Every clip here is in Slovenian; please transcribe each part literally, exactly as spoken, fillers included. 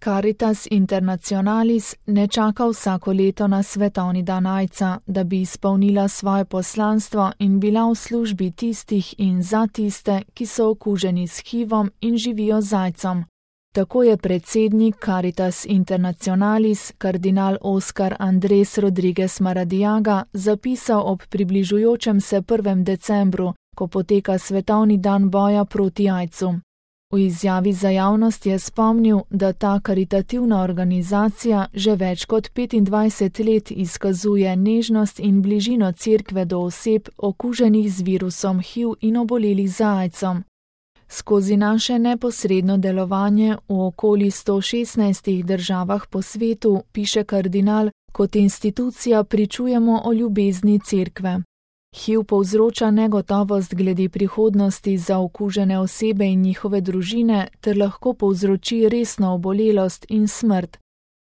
Caritas Internationalis ne čaka vsako leto na svetovni dan aidsa, da bi izpolnila svoje poslanstvo in bila v službi tistih in za tiste, ki so okuženi s hivom in živijo z aidsom. Tako je predsednik Caritas Internationalis, kardinal Oscar Andrés Rodríguez Maradiaga, zapisal ob približujočem se prvem decembru, ko poteka svetovni dan boja proti aidsu. V izjavi za javnost je spomnil, da ta karitativna organizacija že več kot petindvajset let izkazuje nežnost in bližino cerkve do oseb okuženih z virusom H I V in obolelih za aidsom. Skozi naše neposredno delovanje v okoli sto šestnajstih državah po svetu, piše kardinal, kot institucija pričujemo o ljubezni cerkve. H I V povzroča negotovost glede prihodnosti za okužene osebe in njihove družine ter lahko povzroči resno obolelost in smrt.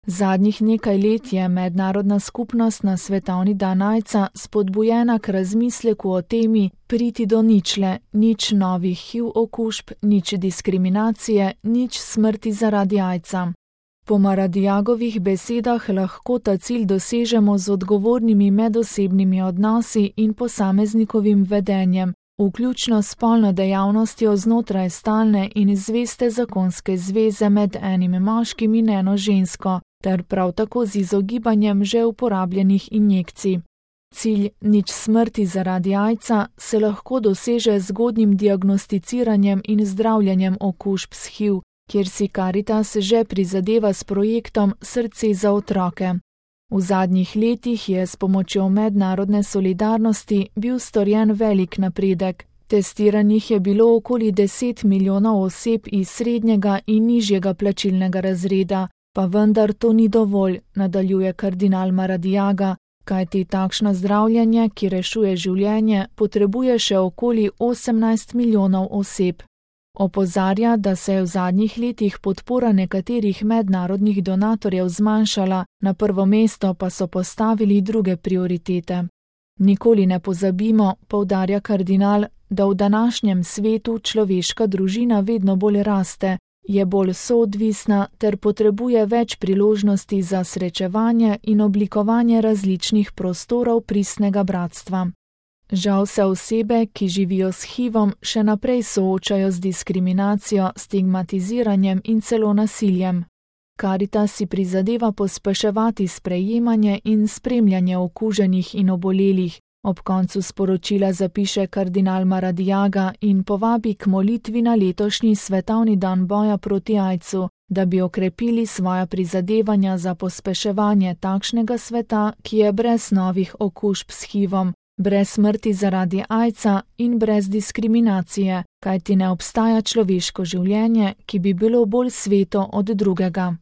Zadnjih nekaj let je mednarodna skupnost na svetovni dan aidsa spodbujena k razmisleku o temi priti do ničle, nič novih H I V okužb, nič diskriminacije, nič smrti zaradi aidsa. Po Maradiagovih besedah lahko ta cilj dosežemo z odgovornimi medosebnimi odnosi in posameznikovim vedenjem, vključno s spolno dejavnostjo znotraj stalne in zveste zakonske zveze med enim moškim in eno žensko, ter prav tako z izogibanjem že uporabljenih injekcij. Cilj nič smrti zaradi aidsa se lahko doseže z zgodnjim diagnosticiranjem in zdravljenjem okužb s H I V, kjer si Caritas že prizadeva s projektom Srce za otroke. V zadnjih letih je s pomočjo mednarodne solidarnosti bil storjen velik napredek. Testiranih je bilo okoli deset milijonov oseb iz srednjega in nižjega plačilnega razreda, pa vendar to ni dovolj, nadaljuje kardinal Maradiaga, kajti takšno zdravljenje, ki rešuje življenje, potrebuje še okoli osemnajst milijonov oseb. Opozarja, da se je v zadnjih letih podpora nekaterih mednarodnih donatorjev zmanjšala, na prvo mesto pa so postavili druge prioritete. Nikoli ne pozabimo, poudarja kardinal, da v današnjem svetu človeška družina vedno bolj raste, je bolj soodvisna ter potrebuje več priložnosti za srečevanje in oblikovanje različnih prostorov pristnega bratstva. Žal se osebe, ki živijo s H I V-om, še naprej soočajo z diskriminacijo, stigmatiziranjem in celo nasiljem. Caritas si prizadeva pospeševati sprejemanje in spremljanje okuženih in obolelih, ob koncu sporočila zapiše kardinal Maradiaga in povabi k molitvi na letošnji svetovni dan boja proti aidsu, da bi okrepili svoja prizadevanja za pospeševanje takšnega sveta, ki je brez novih okužb s H I V-om, brez smrti zaradi aidsa in brez diskriminacije, kajti ne obstaja človeško življenje, ki bi bilo bolj sveto od drugega.